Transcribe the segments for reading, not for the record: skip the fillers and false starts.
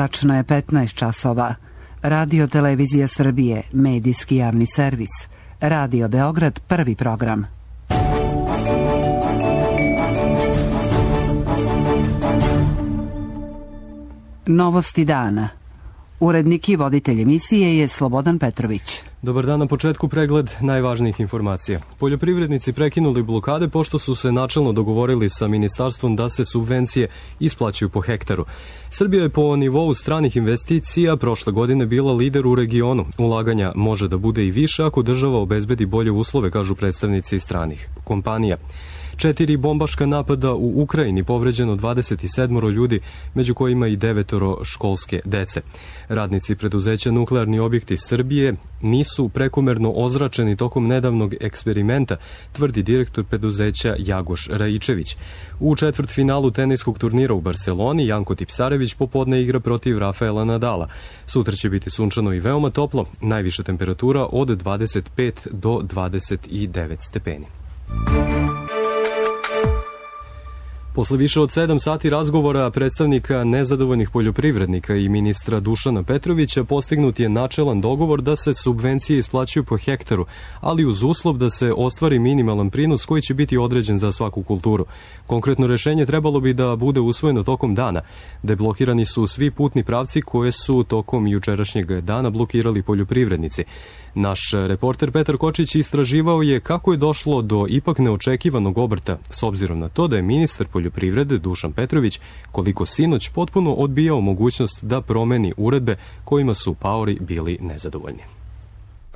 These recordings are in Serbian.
Tačno je 15 časova. Radio Televizija Srbije, medijski javni servis. Radio Beograd, prvi program. Novosti dana. Urednik i voditelj emisije je Slobodan Petrović. Dobar dan, na početku pregled najvažnijih informacija. Poljoprivrednici prekinuli blokade pošto su se načelno dogovorili sa ministarstvom da se subvencije isplaćuju po hektaru. Srbija je po nivou stranih investicija prošle godine bila lider u regionu. Ulaganja može da bude i više ako država obezbedi bolje uslove, kažu predstavnici stranih kompanija. 4 bombaška napada u Ukrajini, povređeno 27 ljudi, među kojima i 9 školske dece. Radnici preduzeća Nuklearni objekti Srbije nisu prekomerno ozračeni tokom nedavnog eksperimenta, tvrdi direktor preduzeća Jagoš Raičević. U četvrtfinalu teniskog turnira u Barseloni Janko Tipsarević popodne igra protiv Rafaela Nadala. Sutra će biti sunčano i veoma toplo, najviša temperatura od 25 do 29 stepeni. Posle više od 7 sati razgovora predstavnika nezadovoljnih poljoprivrednika i ministra Dušana Petrovića postignut je načelan dogovor da se subvencije isplaćuju po hektaru, ali uz uslov da se ostvari minimalan prinos koji će biti određen za svaku kulturu. Konkretno rešenje trebalo bi da bude usvojeno tokom dana. Deblokirani su svi putni pravci koje su tokom jučerašnjeg dana blokirali poljoprivrednici. Naš reporter Petar Kočić istraživao je kako je došlo do ipak neočekivanog obrta, s obzirom na to da je ministar poljoprivrede Dušan Petrović koliko sinoć potpuno odbijao mogućnost da promeni uredbe kojima su paori bili nezadovoljni.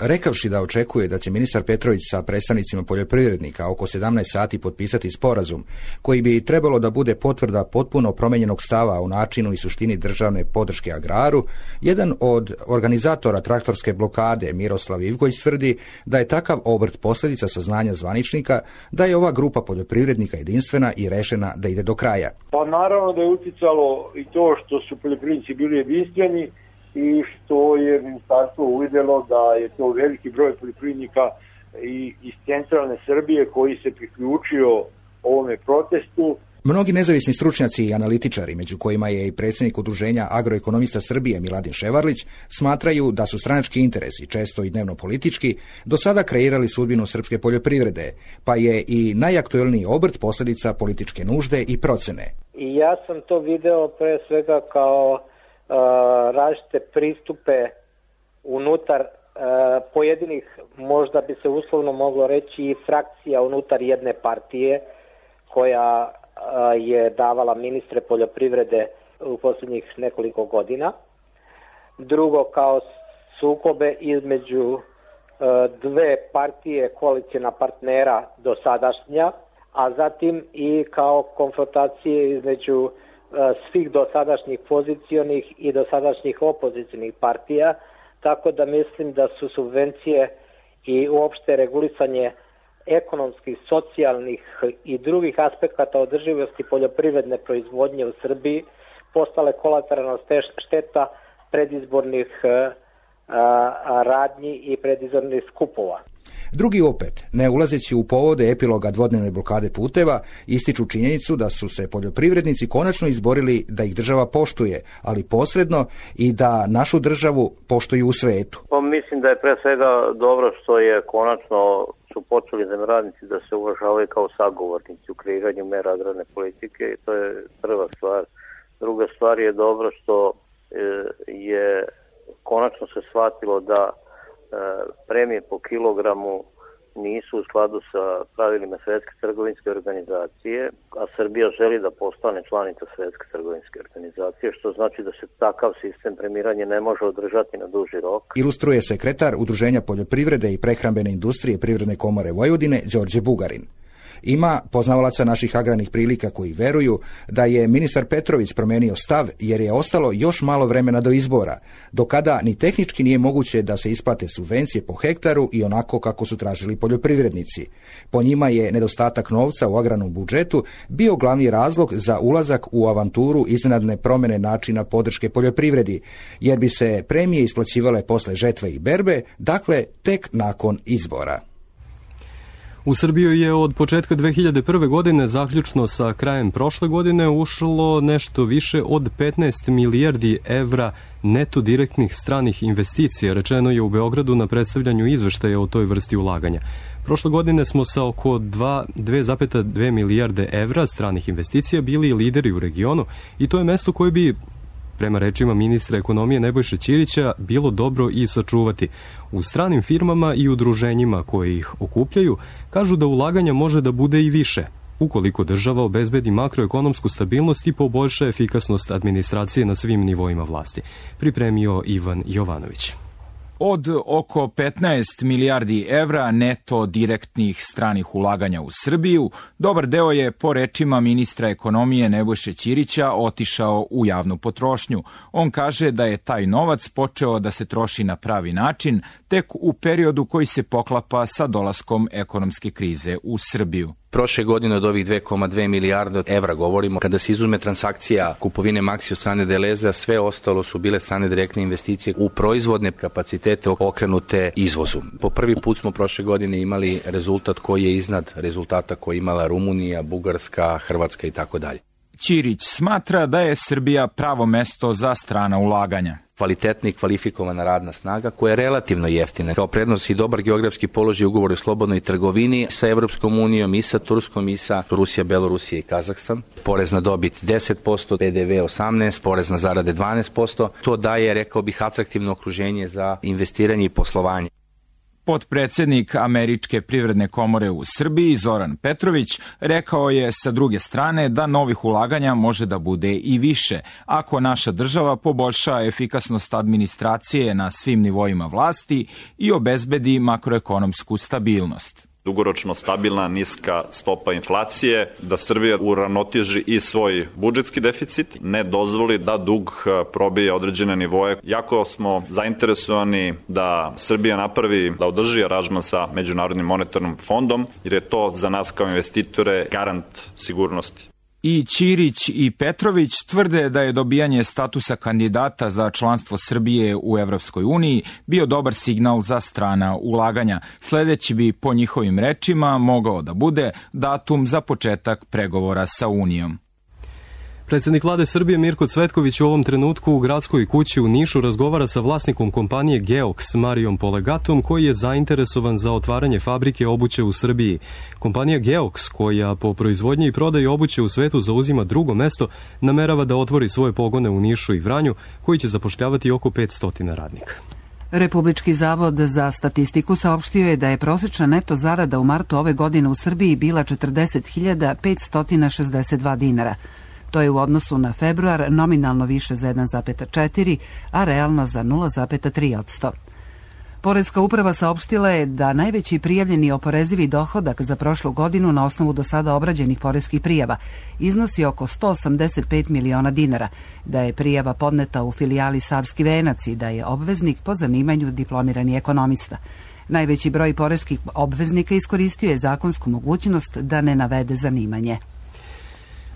Rekavši da očekuje da će ministar Petrović sa predstavnicima poljoprivrednika oko 17 sati potpisati sporazum, koji bi trebalo da bude potvrda potpuno promenjenog stava o načinu i suštini državne podrške agraru, jedan od organizatora traktorske blokade, Miroslav Ivković, tvrdi da je takav obrt posljedica saznanja zvaničnika da je ova grupa poljoprivrednika jedinstvena i rešena da ide do kraja. Pa naravno da je uticalo i to što su poljoprivrednici bili jedinstveni i što je ministarstvo uvidelo da je to veliki broj poljoprivrednika i iz centralne Srbije koji se priključio ovome protestu. Mnogi nezavisni stručnjaci i analitičari, među kojima je i predsjednik Udruženja agroekonomista Srbije Miladin Ševarlić, smatraju da su stranački interesi, često i dnevno politički, do sada kreirali sudbinu srpske poljoprivrede, pa je i najaktuelniji obrt posljedica političke nužde i procene. I ja sam to video pre svega kao različite pristupe unutar pojedinih, možda bi se uslovno moglo reći, frakcija unutar jedne partije koja je davala ministre poljoprivrede u posljednjih nekoliko godina. Drugo, kao sukobe između dve partije koalicijna partnera dosadašnja, a zatim i kao konfrontacije između svih dosadašnjih pozicionih i dosadašnjih opozicionih partija, tako da mislim da su subvencije i uopšte regulisanje ekonomskih, socijalnih i drugih aspekata održivosti poljoprivredne proizvodnje u Srbiji postale kolateralna šteta predizbornih radnji i predizbornih skupova. Drugi opet, ne ulazeći u povode epiloga dvodnevne blokade puteva, ističu činjenicu da su se poljoprivrednici konačno izborili da ih država poštuje, ali posredno i da našu državu poštuju u svetu. Mislim da je pre svega dobro što je konačno su počeli zemljoradnici da se uvažavaju kao sagovornici u kreiranju mera agrarne politike i to je prva stvar. Druga stvar je dobro što je konačno se shvatilo da premije po kilogramu nisu u skladu sa pravilima Svetske trgovinske organizacije, a Srbija želi da postane članica Svetske trgovinske organizacije, što znači da se takav sistem premiranja ne može održati na duži rok. Ilustruje sekretar Udruženja poljoprivrede i prehrambene industrije Privredne komore Vojvodine, Đorđe Bugarin. Ima poznavalaca naših agrarnih prilika koji veruju da je ministar Petrović promenio stav jer je ostalo još malo vremena do izbora, do kada ni tehnički nije moguće da se isplate subvencije po hektaru i onako kako su tražili poljoprivrednici. Po njima je nedostatak novca u agrarnom budžetu bio glavni razlog za ulazak u avanturu iznenadne promjene načina podrške poljoprivredi, jer bi se premije isplaćivale posle žetve i berbe, dakle tek nakon izbora. U Srbiju je od početka 2001. godine, zaključno sa krajem prošle godine, ušlo nešto više od 15 milijardi evra neto direktnih stranih investicija, rečeno je u Beogradu na predstavljanju izveštaja o toj vrsti ulaganja. Prošle godine smo sa oko 2,2 milijarde evra stranih investicija bili lideri u regionu i to je mesto koje bi, prema rečima ministra ekonomije Nebojše Ćirića, bilo dobro i sačuvati. U stranim firmama i udruženjima koje ih okupljaju kažu da ulaganja može da bude i više, ukoliko država obezbedi makroekonomsku stabilnost i poboljša efikasnost administracije na svim nivoima vlasti. Pripremio Ivan Jovanović. Od oko 15 milijardi evra neto direktnih stranih ulaganja u Srbiju, dobar deo je, po rečima ministra ekonomije Nebojše Ćirića, otišao u javnu potrošnju. On kaže da je taj novac počeo da se troši na pravi način tek u periodu koji se poklapa sa dolaskom ekonomske krize u Srbiju. Prošle godine od ovih 2,2 milijarde evra govorimo, kada se izuzme transakcija kupovine Maxi od strane Deleza, sve ostalo su bile strane direktne investicije u proizvodne kapacitete okrenute izvozu. Po prvi put smo prošle godine imali rezultat koji je iznad rezultata koji je imala Rumunija, Bugarska, Hrvatska i tako dalje. Ćirić smatra da je Srbija pravo mesto za strana ulaganja. Kvalitetna i kvalifikovana radna snaga koja je relativno jeftina. Kao prednost i dobar geografski položaj ugovor o slobodnoj trgovini sa Evropskom unijom i sa Turskom i sa Rusija, Belorusija i Kazahstan. Porez na dobit 10%, PDV 18%, porez na zarade 12%. To daje, rekao bih, atraktivno okruženje za investiranje i poslovanje. Potpredsednik Američke privredne komore u Srbiji, Zoran Petrović, rekao je sa druge strane da novih ulaganja može da bude i više, ako naša država poboljša efikasnost administracije na svim nivoima vlasti i obezbedi makroekonomsku stabilnost. Dugoročno stabilna, niska stopa inflacije, da Srbija uravnoteži i svoj budžetski deficit, ne dozvoli da dug probije određene nivoje. Jako smo zainteresovani da Srbija napravi, da održi aranžman sa Međunarodnim monetarnim fondom, jer je to za nas kao investitore garant sigurnosti. I Ćirić i Petrović tvrde da je dobijanje statusa kandidata za članstvo Srbije u Evropskoj uniji bio dobar signal za strana ulaganja. Sledeći bi, po njihovim rečima, mogao da bude datum za početak pregovora sa Unijom. Predsjednik vlade Srbije Mirko Cvetković u ovom trenutku u gradskoj kući u Nišu razgovara sa vlasnikom kompanije Geox Marijom Polegatom, koji je zainteresovan za otvaranje fabrike obuće u Srbiji. Kompanija Geox, koja po proizvodnji i prodaji obuće u svetu zauzima drugo mesto, namerava da otvori svoje pogone u Nišu i Vranju, koji će zapošljavati oko 500 radnika. Republički zavod za statistiku saopštio je da je prosječna neto zarada u martu ove godine u Srbiji bila 40.562 dinara. To je u odnosu na februar nominalno više za 1,4, a realno za 0,3%. Poreska uprava saopštila je da najveći prijavljeni oporezivi dohodak za prošlu godinu na osnovu do sada obrađenih poreskih prijava iznosi oko 185 miliona dinara, da je prijava podneta u filijali Savski venac i da je obveznik po zanimanju diplomirani ekonomista. Najveći broj poreskih obveznika iskoristio je zakonsku mogućnost da ne navede zanimanje.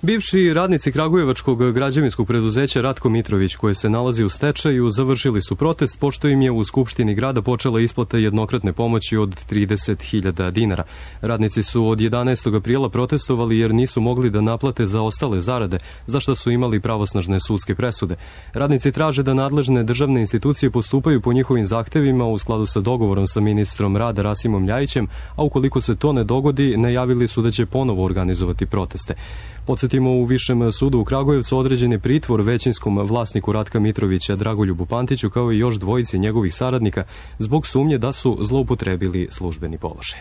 Bivši radnici kragujevačkog građevinskog preduzeća Ratko Mitrović, koje se nalazi u stečaju, završili su protest pošto im je u Skupštini grada počela isplata jednokratne pomoći od 30.000 dinara. Radnici su od 11. aprila protestovali jer nisu mogli da naplate za ostale zarade, za što su imali pravosnažne sudske presude. Radnici traže da nadležne državne institucije postupaju po njihovim zahtevima u skladu sa dogovorom sa ministrom rada Rasimom Ljajićem, a ukoliko se to ne dogodi, najavili su da će ponovo organizovati proteste. Podsjetimo, u Višem sudu u Kragujevcu određen je pritvor većinskom vlasniku Ratka Mitrovića Dragoljubu Pantiću, kao i još dvojici njegovih saradnika, zbog sumnje da su zloupotrebili službeni položaj.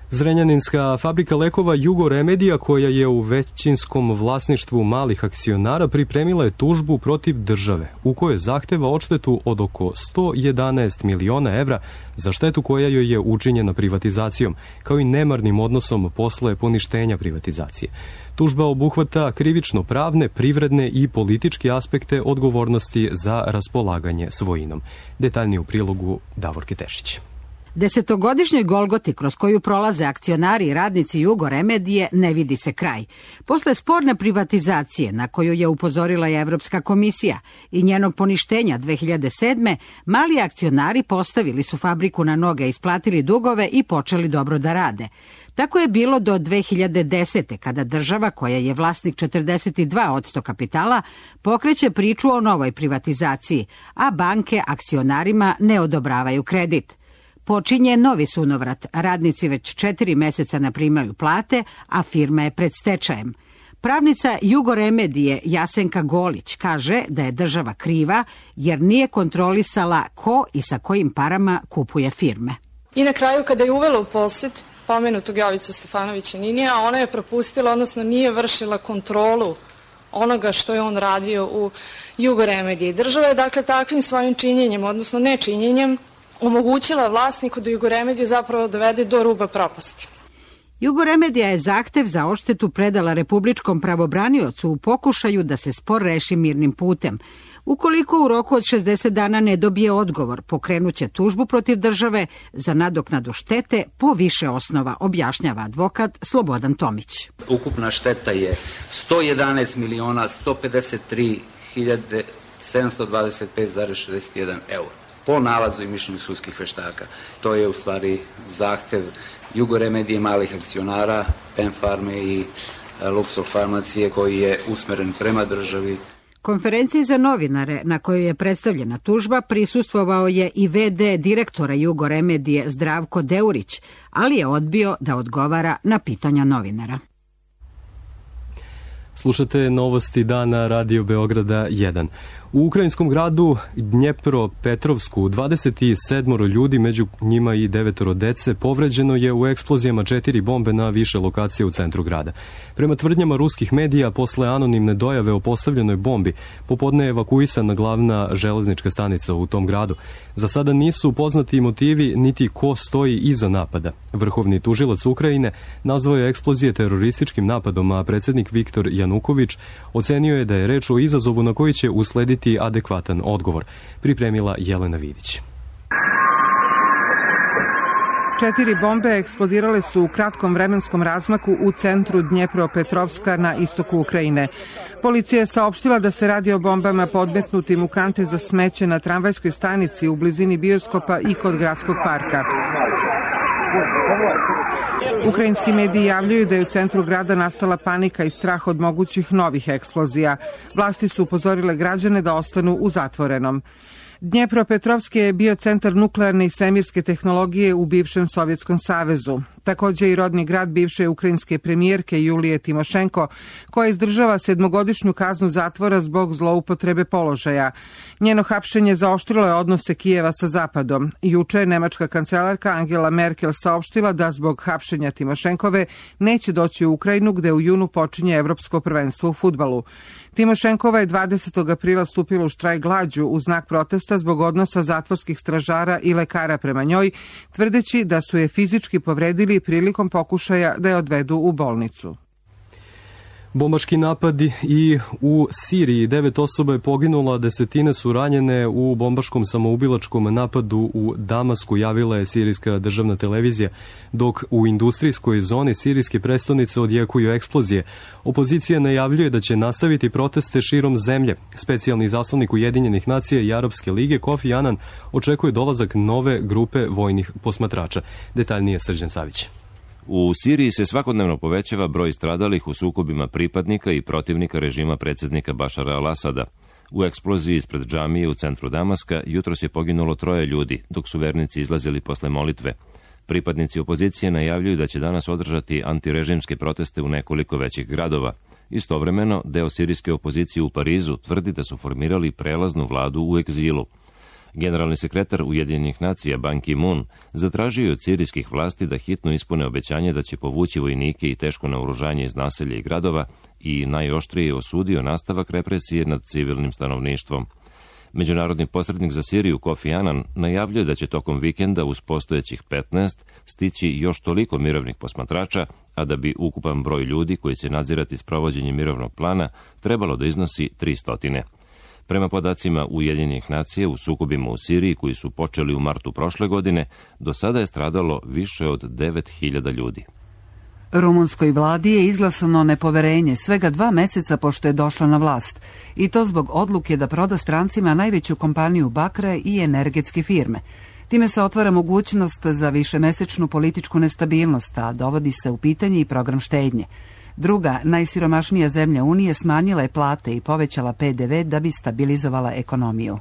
Zrenjaninska fabrika lekova Jugo Remedija, koja je u većinskom vlasništvu malih akcionara, pripremila je tužbu protiv države, u kojoj zahteva odštetu od oko 111 miliona evra za štetu koja joj je učinjena privatizacijom, kao i nemarnim odnosom posle poništenja privatizacije. Tužba obuhvata krivično-pravne, privredne i političke aspekte odgovornosti za raspolaganje svojinom. Detaljnije u prilogu Davorke Tešić. Desetogodišnjoj golgoti kroz koju prolaze akcionari i radnici Jugoremedije ne vidi se kraj. Posle sporne privatizacije na koju je upozorila i Evropska komisija i njenog poništenja 2007. mali akcionari postavili su fabriku na noge, isplatili dugove i počeli dobro da rade. Tako je bilo do 2010. kada država, koja je vlasnik 42% kapitala, pokreće priču o novoj privatizaciji, a banke akcionarima ne odobravaju kredit. Počinje novi sunovrat, radnici već 4 meseca ne primaju plate, a firma je pred stečajem. Pravnica Jugoremedije Jasenka Golić kaže da je država kriva jer nije kontrolisala ko i sa kojim parama kupuje firme. I na kraju, kada je uvela u posjed pomenutog Jovicu Stefanovića Ninija, ona je propustila, odnosno nije vršila kontrolu onoga što je on radio u Jugoremediji. Država je dakle takvim svojim činjenjem, odnosno nečinjenjem, omogućila vlasniku da Jugoremediju zapravo dovede do ruba propasti. Jugoremedija je zahtev za odštetu predala republičkom pravobraniocu u pokušaju da se spor reši mirnim putem. Ukoliko u roku od 60 dana ne dobije odgovor, pokrenuće tužbu protiv države za nadoknadu štete po više osnova, objašnjava advokat Slobodan Tomić. Ukupna šteta je 111.153.725,61 eura po nalazu i mišljenju sudskih veštaka. To je u stvari zahtev Jugoremedije, malih akcionara, PEM Farme i Luxor farmacije koji je usmeren prema državi. Konferenciji za novinare na kojoj je predstavljena tužba prisustvovao je i v.d. direktora Jugoremedije Zdravko Deurić, ali je odbio da odgovara na pitanja novinara. Slušate novosti dana Radio Beograda 1. U ukrajinskom gradu Dnjepropetrovsku 27 ljudi, među njima i 9 dece, povređeno je u eksplozijama 4 bombe na više lokacije u centru grada. Prema tvrdnjama ruskih medija, posle anonimne dojave o postavljenoj bombi, popodne je evakuisana glavna železnička stanica u tom gradu. Za sada nisu poznati motivi niti ko stoji iza napada. Vrhovni tužilac Ukrajine nazvao je eksplozije terorističkim napadom, a predsjednik Viktor Januković ocenio je da je reč o izazovu na koji će uslediti adekvatan odgovor. Pripremila Jelena Vidić. 4 bombe eksplodirale su u kratkom vremenskom razmaku u centru Dnjepropetrovska na istoku Ukrajine. Policija je saopštila da se radi o bombama podmetnutim u kante za smeće na tramvajskoj stanici u blizini bioskopa i kod gradskog parka. Ukrajinski mediji javljaju da je u centru grada nastala panika i strah od mogućih novih eksplozija. Vlasti su upozorile građane da ostanu u zatvorenom. Dnjepropetrovski je bio centar nuklearne i svemirske tehnologije u bivšem Sovjetskom savezu. Takođe i rodni grad bivše ukrajinske premijerke Julije Timošenko, koja izdržava 7-godišnju kaznu zatvora zbog zloupotrebe položaja. Njeno hapšenje zaoštrilo je odnose Kijeva sa Zapadom. Juče je nemačka kancelarka Angela Merkel saopštila da zbog hapšenja Timošenkove neće doći u Ukrajinu, gde u junu počinje Evropsko prvenstvo u fudbalu. Timošenkova je 20. aprila stupila u štrajk glađu u znak protesta zbog odnosa zatvorskih stražara i lekara prema njoj, tvrdeći da su je fizički povredili prilikom pokušaja da je odvedu u bolnicu. Bombaški napadi i u Siriji, 9 osoba je poginulo, a desetine su ranjene u bombaškom samoubilačkom napadu u Damasku, javila je sirijska državna televizija, dok u industrijskoj zoni sirijske prestonice odjekuju eksplozije. Opozicija najavljuje da će nastaviti proteste širom zemlje. Specijalni zaslanik Ujedinjenih nacija i Arapske lige Kofi Anan očekuje dolazak nove grupe vojnih posmatrača. Detaljnije Srđan Savić. U Siriji se svakodnevno povećava broj stradalih u sukobima pripadnika i protivnika režima predsjednika Bašara al-Asada. U eksploziji ispred džamije u centru Damaska jutros je poginulo 3 ljudi, dok su vernici izlazili posle molitve. Pripadnici opozicije najavljuju da će danas održati antirežimske proteste u nekoliko većih gradova. Istovremeno, deo sirijske opozicije u Parizu tvrdi da su formirali prelaznu vladu u egzilu. Generalni sekretar Ujedinjenih nacija Ban Ki-moon zatražio od sirijskih vlasti da hitno ispune obećanje da će povući vojnike i teško naoružanje iz naselja i gradova i najoštrije osudio nastavak represije nad civilnim stanovništvom. Međunarodni posrednik za Siriju Kofi Anan najavljuje da će tokom vikenda uz postojećih 15 stići još toliko mirovnih posmatrača, a da bi ukupan broj ljudi koji će nadzirati sprovođenje mirovnog plana trebalo da iznosi 300. Prema podacima Ujedinjenih nacija, u sukobima u Siriji koji su počeli u martu prošle godine, do sada je stradalo više od 9.000 ljudi. Rumunskoj vladi je izglasano nepoverenje svega 2 meseca pošto je došla na vlast, i to zbog odluke da proda strancima najveću kompaniju bakra i energetske firme. Time se otvara mogućnost za višemesečnu političku nestabilnost, a dovodi se u pitanje i program štednje. Druga, najsiromašnija zemlja Unije smanjila je plate i povećala PDV da bi stabilizovala ekonomiju.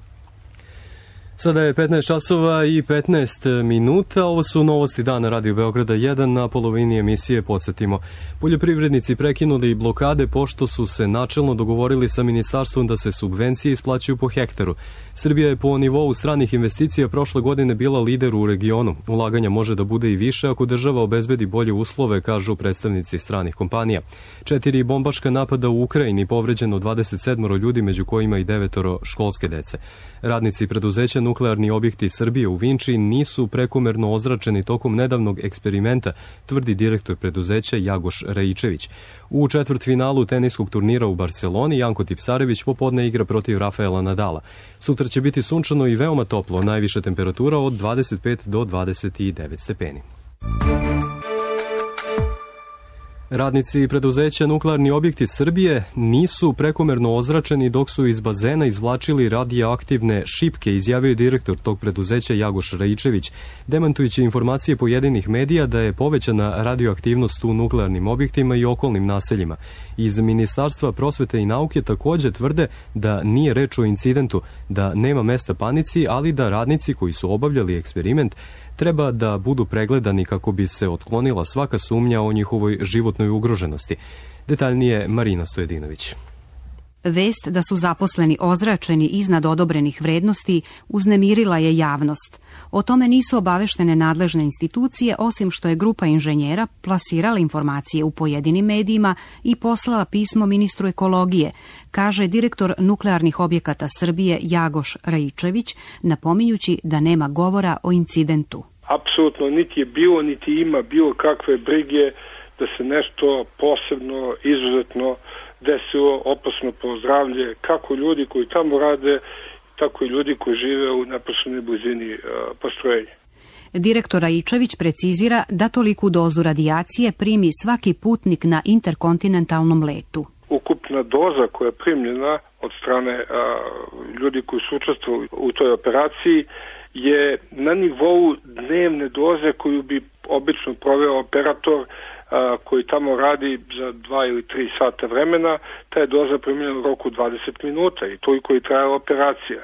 Sada je 15 časova i 15 minuta. Ovo su novosti dana Radio Beograda 1. Na polovini emisije podsjetimo. Poljoprivrednici prekinuli blokade pošto su se načelno dogovorili sa ministarstvom da se subvencije isplaćuju po hektaru. Srbija je po nivou stranih investicija prošle godine bila lider u regionu. Ulaganja može da bude i više ako država obezbedi bolje uslove, kažu predstavnici stranih kompanija. 4 bombaška napada u Ukrajini, povređeno 27 ljudi, među kojima i 9 školske dece. Radnici preduzeća Nuklearni objekti Srbije u Vinči nisu prekomerno ozračeni tokom nedavnog eksperimenta, tvrdi direktor preduzeća Jagoš Rajičević. U četvrtfinalu teniskog turnira u Barceloni Janko Tipsarević popodne igra protiv Rafaela Nadala. Sutra će biti sunčano i veoma toplo, najviša temperatura od 25 do 29 stepeni. Radnici preduzeća Nuklearni objekti Srbije nisu prekomerno ozračeni dok su iz bazena izvlačili radioaktivne šipke, izjavio direktor tog preduzeća Jagoš Rajičević, demantujući informacije pojedinih medija da je povećana radioaktivnost u nuklearnim objektima i okolnim naseljima. Iz Ministarstva prosvete i nauke takođe tvrde da nije reč o incidentu, da nema mesta panici, ali da radnici koji su obavljali eksperiment treba da budu pregledani kako bi se otklonila svaka sumnja o njihovoj životnoj ugroženosti. Detaljnije Marina Stojedinović. Vest da su zaposleni ozračeni iznad odobrenih vrednosti uznemirila je javnost. O tome nisu obaveštene nadležne institucije, osim što je grupa inženjera plasirala informacije u pojedinim medijima i poslala pismo ministru ekologije, kaže direktor Nuklearnih objekata Srbije Jagoš Rajičević, napominjući da nema govora o incidentu. Apsolutno niti je bilo, niti ima bilo kakve brige da se nešto posebno, izuzetno desilo opasno po zdravlje kako ljudi koji tamo rade, tako i ljudi koji žive u neposrednoj blizini postrojenja. Direktor Rajičević precizira da toliku dozu radijacije primi svaki putnik na interkontinentalnom letu. Ukupna doza koja je primljena od strane ljudi koji su učestvovali u toj operaciji je na nivou dnevne doze koju bi obično proveo operator koji tamo radi za 2 ili 3 sata vremena. Ta je doza primljena u roku 20 minuta i toliko je trajala operacija.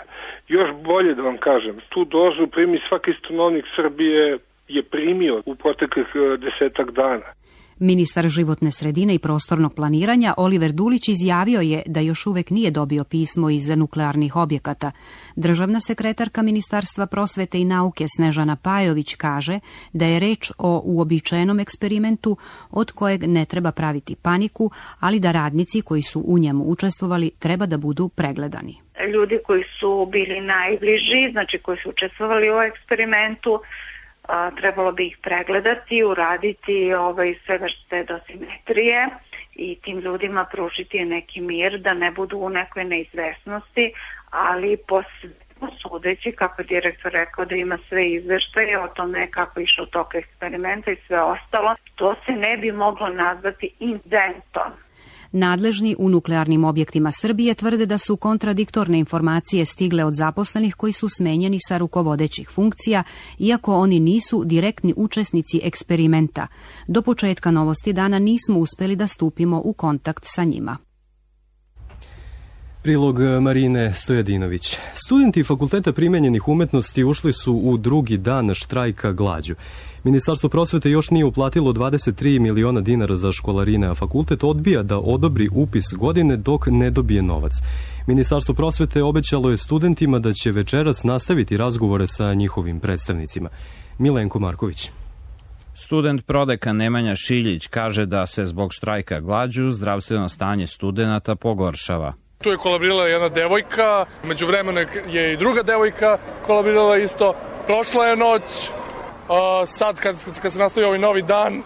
Još bolje da vam kažem, tu dozu primi svaki stanovnik Srbije je primio u proteklih 10 dana. Ministar životne sredine i prostornog planiranja Oliver Dulić izjavio je da još uvek nije dobio pismo iz nuklearnih objekata. Državna sekretarka Ministarstva prosvete i nauke Snežana Pajović kaže da je reč o uobičajenom eksperimentu od kojeg ne treba praviti paniku, ali da radnici koji su u njemu učestvovali treba da budu pregledani. Ljudi koji su bili najbliži, znači koji su učestvovali u eksperimentu, trebalo bi ih pregledati, uraditi svega što je dosimetrije i tim ljudima pružiti neki mir da ne budu u nekoj neizvesnosti, ali sudeći, kako je direktor rekao da ima sve izveštaje o tome kako je išao tok eksperimenta i sve ostalo, to se ne bi moglo nazvati incidentom. Nadležni u nuklearnim objektima Srbije tvrde da su kontradiktorne informacije stigle od zaposlenih koji su smenjeni sa rukovodećih funkcija, iako oni nisu direktni učesnici eksperimenta. Do početka Novosti dana nismo uspeli da stupimo u kontakt sa njima. Prilog Marine Stojedinović. Studenti Fakulteta primenjenih umetnosti ušli su u drugi dan štrajka glađu. Ministarstvo prosvete još nije uplatilo 23 miliona dinara za školarine, a fakultet odbija da odobri upis godine dok ne dobije novac. Ministarstvo prosvete obećalo je studentima da će večeras nastaviti razgovore sa njihovim predstavnicima. Milenko Marković. Student prodekan Nemanja Šiljić kaže da se zbog štrajka glađu zdravstveno stanje studenata pogoršava. Tu je kolabrirala jedna devojka, međuvremeno je i druga devojka kolabrirala isto. Prošla je noć, sad kad se nastavi ovaj novi dan,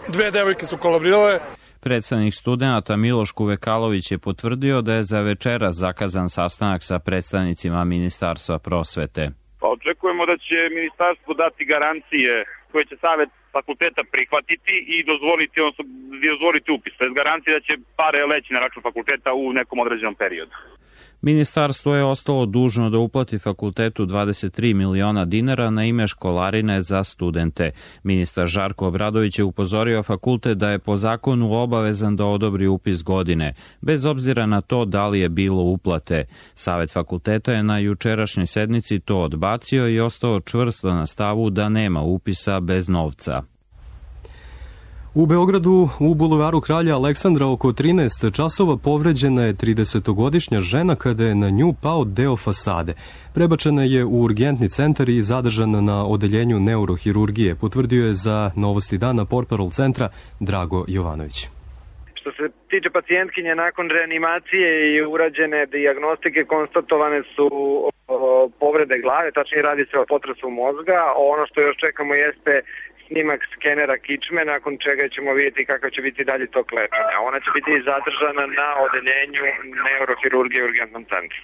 2 devojke su kolabrirale. Predstavnik studenata Miloš Kuvekalović je potvrdio da je za večeras zakazan sastanak sa predstavnicima Ministarstva prosvete. Pa očekujemo da će ministarstvo dati garancije koje će Savet fakulteta prihvatiti i dozvoliti upis. To je garancija da će pare leći na račun fakulteta u nekom određenom periodu. Ministarstvo je ostalo dužno da uplati fakultetu 23 miliona dinara na ime školarine za studente. Ministar Žarko Obradović je upozorio fakultet da je po zakonu obavezan da odobri upis godine, bez obzira na to da li je bilo uplate. Savet fakulteta je na jučerašnjoj sednici to odbacio i ostao čvrsto na stavu da nema upisa bez novca. U Beogradu, u bulevaru Kralja Aleksandra, oko 13 časova povređena je 30-godišnja žena kada je na nju pao deo fasade. Prebačena je u urgentni centar i zadržana na odeljenju neurohirurgije, potvrdio je za Novosti dana portparol centra Drago Jovanović. Što se tiče pacijentkinje, nakon reanimacije i urađene dijagnostike konstatovane su povrede glave, tačnije radi se o potresu mozga. Ono što još čekamo jeste snimak skenera kičme, nakon čega ćemo vidjeti kakav će biti dalje tok lečenja. Ona će biti zadržana na odeljenju neurohirurgije u urgentnom centru.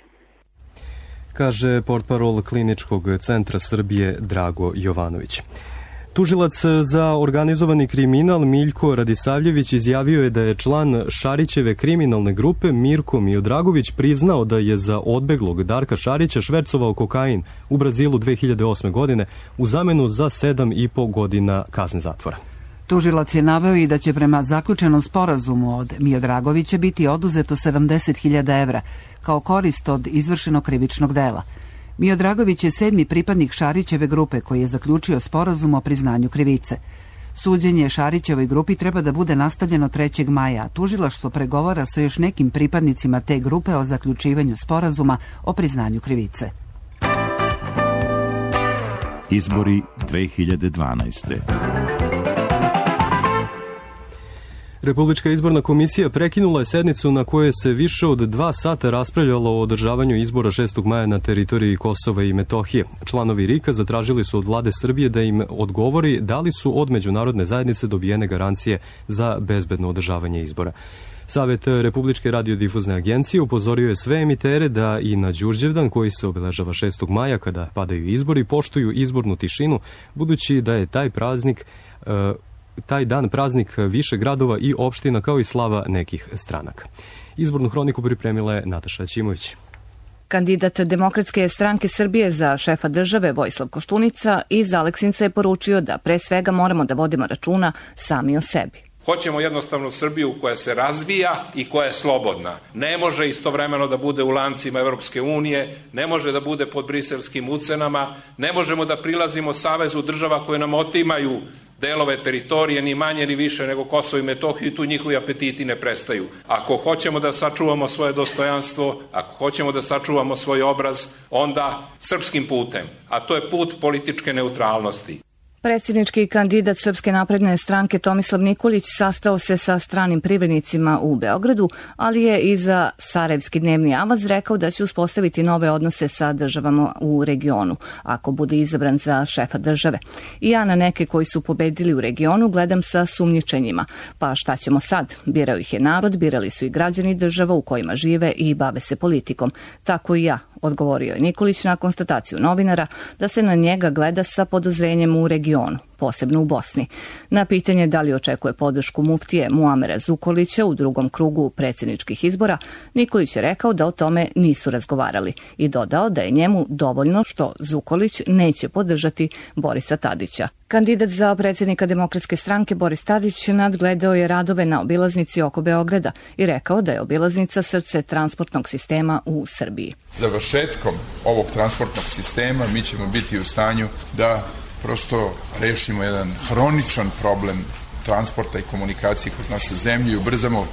Kaže portparol Kliničkog centra Srbije Drago Jovanović. Tužilac za organizovani kriminal Miljko Radisavljević izjavio je da je član Šarićeve kriminalne grupe Mirko Miodragović priznao da je za odbeglog Darka Šarića švercovao kokain u Brazilu 2008. godine u zamenu za 7,5 godina kazne zatvora. Tužilac je naveo i da će prema zaključenom sporazumu od Miodragovića biti oduzeto 70.000 evra kao korist od izvršenog krivičnog dela. Miodragović je 7. pripadnik Šarićeve grupe koji je zaključio sporazum o priznanju krivice. Suđenje Šarićevoj grupi treba da bude nastavljeno 3. maja, a tužilaštvo pregovara sa još nekim pripadnicima te grupe o zaključivanju sporazuma o priznanju krivice. Izbori 2012. Republička izborna komisija prekinula je sednicu na kojoj se više od 2 sata raspravljalo o održavanju izbora 6. maja na teritoriji Kosova i Metohije. Članovi RIK-a zatražili su od vlade Srbije da im odgovori da li su od međunarodne zajednice dobijene garancije za bezbedno održavanje izbora. Savet Republičke radiodifuzne agencije upozorio je sve emitere da i na Đurđevdan, koji se obeležava 6. maja kada padaju izbori, poštuju izbornu tišinu, budući da je taj dan praznik više gradova i opština kao i slava nekih stranaka. Izbornu hroniku pripremila je Nataša Ćimović. Kandidat Demokratske stranke Srbije za šefa države Vojislav Koštunica iz Aleksinca je poručio da pre svega moramo da vodimo računa sami o sebi. Hoćemo jednostavno Srbiju koja se razvija i koja je slobodna. Ne može istovremeno da bude u lancima Evropske unije, ne može da bude pod briselskim ucenama, ne možemo da prilazimo savezu država koje nam otimaju delove teritorije, ni manje ni više nego Kosovo i Metohiju, tu njihovi apetiti ne prestaju. Ako hoćemo da sačuvamo svoje dostojanstvo, ako hoćemo da sačuvamo svoj obraz, onda srpskim putem, a to je put političke neutralnosti. Predsjednički kandidat Srpske napredne stranke Tomislav Nikolić sastao se sa stranim privrednicima u Beogradu, ali je i za Sarajevski dnevni avaz rekao da će uspostaviti nove odnose sa državama u regionu, ako bude izabran za šefa države. I ja na neke koji su pobedili u regionu gledam sa sumnjičenjima. Pa šta ćemo sad? Birao ih je narod, birali su i građani država u kojima žive i bave se politikom. Tako i ja, odgovorio je Nikolić na konstataciju novinara da se na njega gleda sa podozrenjem u regionu, posebno u Bosni. Na pitanje da li očekuje podršku muftije Muamera Zukorlića u drugom krugu predsjedničkih izbora, Nikolić je rekao da o tome nisu razgovarali i dodao da je njemu dovoljno što Zukorlić neće podržati Borisa Tadića. Kandidat za predsjednika Demokratske stranke Boris Tadić nadgledao je radove na obilaznici oko Beograda i rekao da je obilaznica srce transportnog sistema u Srbiji. Završetkom ovog transportnog sistema mi ćemo biti u stanju da prosto rešimo jedan hroničan problem transporta i komunikacije kroz našu zemlju i ubrzamo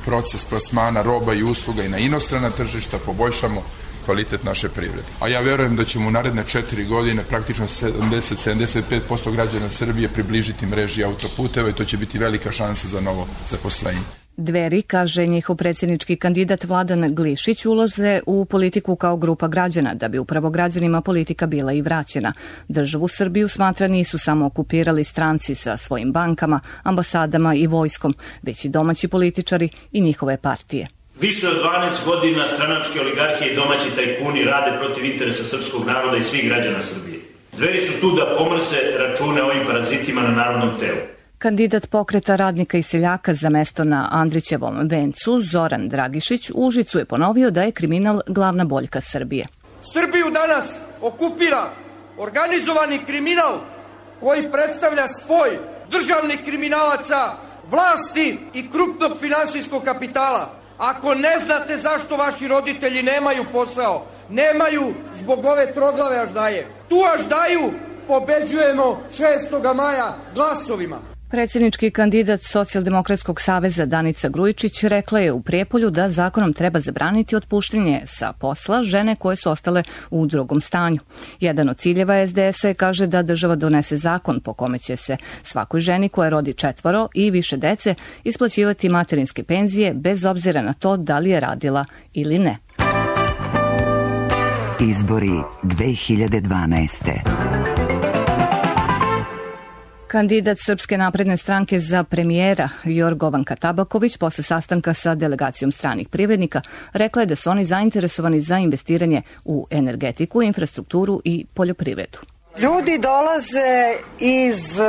proces plasmana roba i usluga i na inostrana tržišta, poboljšamo kvalitet naše privrede. A ja verujem da ćemo u naredne 4 godine praktično 70-75% građana Srbije približiti mreži autoputeva i to će biti velika šansa za novo zaposlenje. Dveri, kaže njihov predsjednički kandidat Vladan Glišić, ulaze u politiku kao grupa građana, da bi upravo građanima politika bila i vraćena. Državu Srbiju, smatra, nisu samo okupirali stranci sa svojim bankama, ambasadama i vojskom, već i domaći političari i njihove partije. Više od 12 godina stranačke oligarhije i domaći tajkuni rade protiv interesa srpskog naroda i svih građana Srbije. Dveri su tu da pomrse račune ovim parazitima na narodnom telu. Kandidat Pokreta radnika i seljaka za mesto na Andrićevom vencu, Zoran Dragišić, u Užicu je ponovio da je kriminal glavna boljka Srbije. Srbiju danas okupira organizovani kriminal koji predstavlja spoj državnih kriminalaca, vlasti i krupnog finansijskog kapitala. Ako ne znate zašto vaši roditelji nemaju posao, nemaju zbog ove troglave aždaje. Tu aždaju pobeđujemo 6. maja glasovima. Predsjednički kandidat Socijaldemokratskog saveza Danica Grujičić rekla je u Prijepolju da zakonom treba zabraniti otpuštanje sa posla žene koje su ostale u drugom stanju. Jedan od ciljeva SDS-a je, kaže, da država donese zakon po kome će se svakoj ženi koja rodi 4 i više dece isplaćivati materinske penzije bez obzira na to da li je radila ili ne. Izbori 2012. Kandidat Srpske napredne stranke za premijera Jorgovanka Tabaković posle sastanka sa delegacijom stranih privrednika rekla je da su oni zainteresovani za investiranje u energetiku, infrastrukturu i poljoprivredu. Ljudi dolaze iz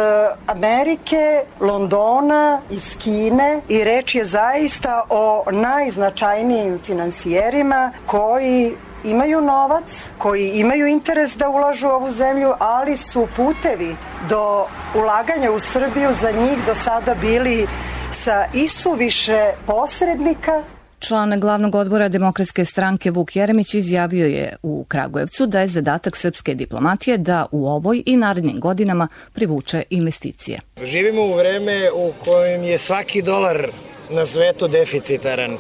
Amerike, Londona, iz Kine i reč je zaista o najznačajnijim finansijerima koji imaju novac, koji imaju interes da ulažu u ovu zemlju, ali su putevi do ulaganja u Srbiju za njih do sada bili sa isuviše posrednika. Član glavnog odbora Demokratske stranke Vuk Jeremić izjavio je u Kragujevcu da je zadatak srpske diplomatije da u ovoj i narednim godinama privuče investicije. Živimo u vreme u kojem je svaki dolar na svetu deficitaran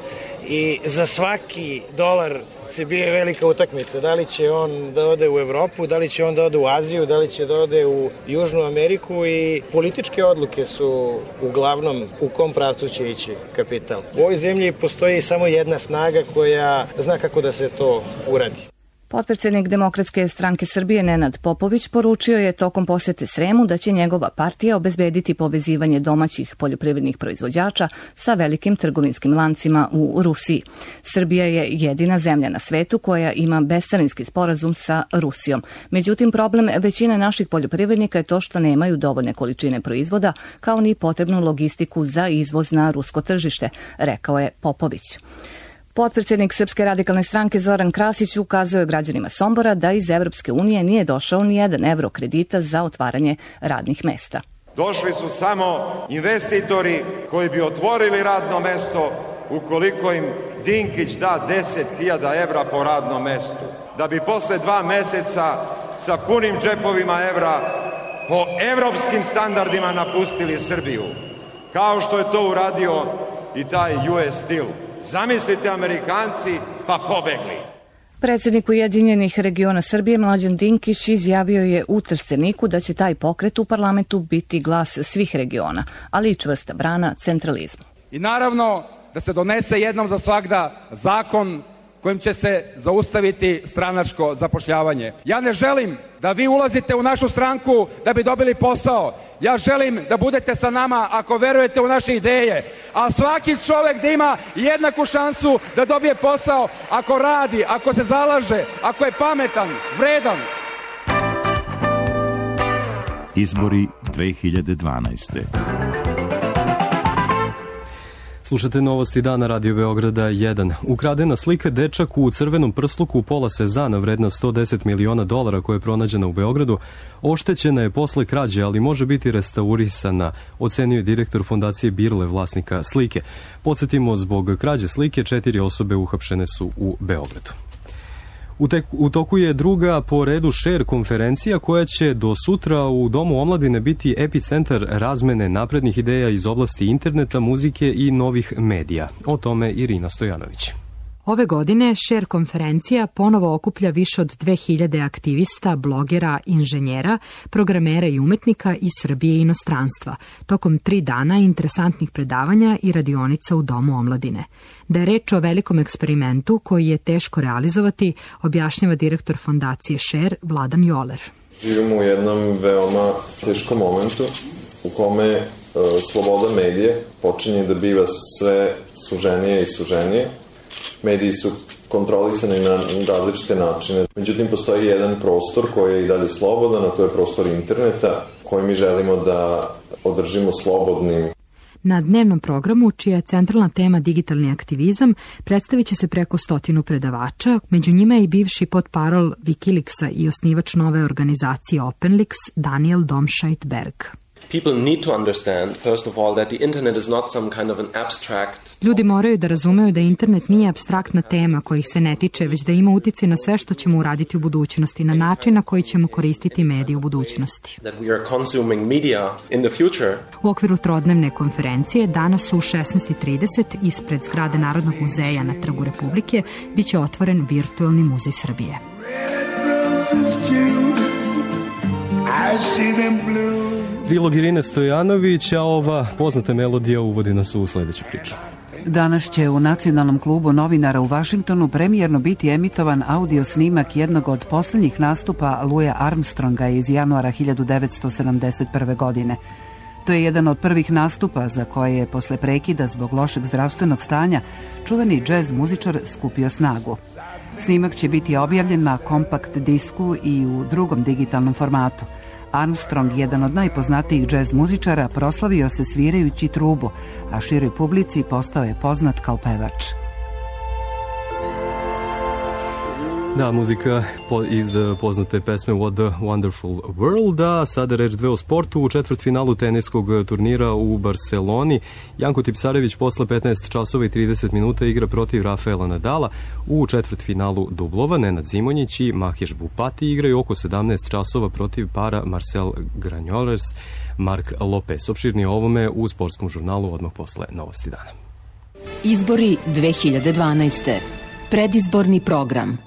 i za svaki dolar se bije velika utakmica. Da li će on da ode u Evropu, da li će on da ode u Aziju, da li će da ode u Južnu Ameriku i političke odluke su uglavnom u kom pravcu će ići kapital. U ovoj zemlji postoji samo jedna snaga koja zna kako da se to uradi. Potpredsjednik Demokratske stranke Srbije Nenad Popović poručio je tokom posete Sremu da će njegova partija obezbediti povezivanje domaćih poljoprivrednih proizvođača sa velikim trgovinskim lancima u Rusiji. Srbija je jedina zemlja na svetu koja ima bescarinski sporazum sa Rusijom. Međutim, problem većine naših poljoprivrednika je to što nemaju dovoljne količine proizvoda, kao ni potrebnu logistiku za izvoz na rusko tržište, rekao je Popović. Potpredsjednik Srpske radikalne stranke Zoran Krasić ukazao je građanima Sombora da iz Evropske unije nije došao ni jedan evro kredita za otvaranje radnih mesta. Došli su samo investitori koji bi otvorili radno mesto ukoliko im Dinkić da 10.000 evra po radnom mestu, da bi posle 2 meseca sa punim džepovima evra po evropskim standardima napustili Srbiju, kao što je to uradio i taj US Steel. Zamislite, Amerikanci, pa pobegli. Predsjednik Ujedinjenih regiona Srbije Mlađan Dinkić izjavio je u Trsteniku da će taj pokret u parlamentu biti glas svih regiona, ali i čvrsta brana centralizmu. I naravno da se donese jednom za svagda zakon kojim će se zaustaviti stranačko zapošljavanje. Ja ne želim da vi ulazite u našu stranku da bi dobili posao. Ja želim da budete sa nama ako verujete u naše ideje. A svaki čovek da ima jednaku šansu da dobije posao ako radi, ako se zalaže, ako je pametan, vredan. Izbori 2012. Slušate novosti dana Radio Beograda 1. Ukradena slika dečak u crvenom prsluku pola Sezana vredna $110 miliona koja je pronađena u Beogradu. Oštećena je posle krađe, ali može biti restaurisana, ocenio je direktor fondacije Birle, vlasnika slike. Podsjetimo, zbog krađe slike 4 osobe uhapšene su u Beogradu. U toku je druga po redu share konferencija koja će do sutra u Domu omladine biti epicentar razmene naprednih ideja iz oblasti interneta, muzike i novih medija. O tome Irina Stojanović. Ove godine Share konferencija ponovo okuplja više od 2000 aktivista, blogera, inženjera, programera i umetnika iz Srbije i inostranstva, tokom 3 dana interesantnih predavanja i radionica u Domu omladine. Da je reč o velikom eksperimentu koji je teško realizovati, objašnjava direktor fondacije Share Vladan Joler. Živimo u jednom veoma teškom momentu u kome sloboda medije počinje da biva sve suženije i suženije. Mediji su kontrolisani na različite načine. Međutim, postoji jedan prostor koji je i dalje slobodan, a to je prostor interneta koji mi želimo da održimo slobodnim. Na dnevnom programu, čija je centralna tema digitalni aktivizam, predstavit će se preko 100 predavača, među njima je i bivši potparol Wikileaksa i osnivač nove organizacije OpenLeaks, Daniel Domscheit-Berg. Ljudi moraju da razumeju da internet nije apstraktna tema koja ih se ne tiče, već da ima uticaj na sve što ćemo uraditi u budućnosti, na način na koji ćemo koristiti medije u budućnosti. U okviru trodnevne konferencije danas u 16:30 ispred zgrade Narodnog muzeja na Trgu Republike biće otvoren virtualni muzej Srbije. Prilog Irine Stojanović, a ova poznata melodija uvodi nas u sledeću priču. Danas će u Nacionalnom klubu novinara u Vašingtonu premijerno biti emitovan audio snimak jednog od poslednjih nastupa Louisa Armstronga iz januara 1971. godine. To je jedan od prvih nastupa za koje je posle prekida zbog lošeg zdravstvenog stanja čuveni džez muzičar skupio snagu. Snimak će biti objavljen na kompakt disku i u drugom digitalnom formatu. Armstrong, jedan od najpoznatijih džez muzičara, proslavio se svirajući trubu, a široj publici postao je poznat kao pevač. Da, muzika iz poznate pesme What a Wonderful World, a sada reč dve o sportu. U četvrtfinalu teniskog turnira u Barceloni Janko Tipsarević posle 15 časova i 30 minuta igra protiv Rafaela Nadala. U četvrtfinalu dublova Nenad Zimonjić i Maheš Bupati igraju oko 17 časova protiv para Marcel Granollers, Mark Lopez. Opširnije o ovome u sportskom žurnalu odmah posle Novosti dana. Izbori 2012. Predizborni program.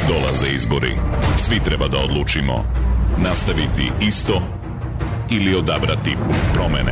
Dolaze izbori. Svi treba da odlučimo. Nastaviti isto ili odabrati promene.